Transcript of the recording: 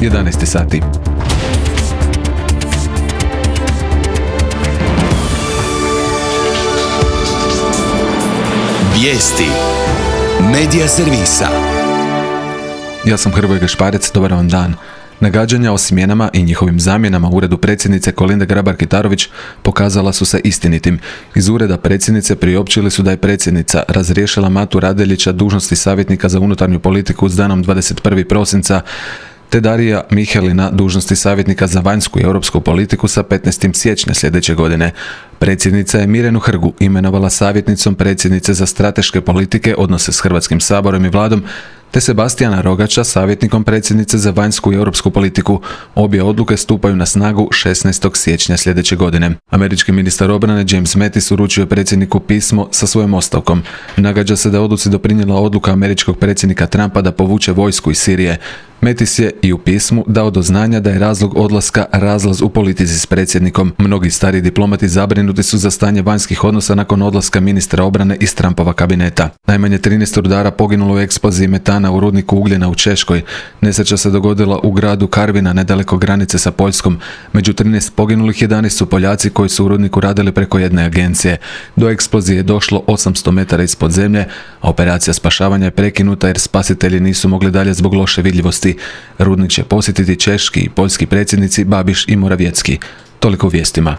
11 sati. Vijesti Medija servisa. Ja sam Hrvoje Gašparec, dobar vam dan. Nagađanja o smjenama i njihovim zamjenama u uredu predsjednice Kolinde Grabar-Kitarović pokazala su se istinitim. Iz ureda predsjednice priopćili su da je predsjednica razriješila Matu Radeljića dužnosti savjetnika za unutarnju politiku s danom 21. prosinca, te Darija Mihelina dužnosti savjetnika za vanjsku i europsku politiku sa 15. siječnja sljedeće godine. Predsjednica je Mirjanu Hrgu imenovala savjetnicom predsjednice za strateške politike, odnose s Hrvatskim saborom i vladom, te Sebastijana Rogača savjetnikom predsjednice za vanjsku i europsku politiku. Obje odluke stupaju na snagu 16. siječnja sljedeće godine. Američki ministar obrane James Mattis uručio je predsjedniku pismo sa svojom ostavkom. Nagađa se da je odluci doprinijela odluka američkog predsjednika Trumpa da povuče vojsku iz Sirije. Mattis je i u pismu dao do znanja da je razlog odlaska razlaz u politici s predsjednikom. Mnogi stari diplomati zabrinuti su za stanje vanjskih odnosa nakon odlaska ministra obrane iz Trumpova kabineta. Najmanje 13 rudara poginulo u eksploziji metana u rudniku ugljena u Češkoj. Nesreća se dogodila u gradu Karvina, nedaleko granice sa Poljskom. Među 13 poginulih 11 su Poljaci koji su u rudniku radili preko jedne agencije. Do eksplozije je došlo 800 metara ispod zemlje, a operacija spašavanja je prekinuta jer spasitelji nisu mogli dalje zbog loše vidljivosti. Rudnik će posjetiti češki i poljski predsjednici Babiš i Morawiecki. Toliko u vijestima.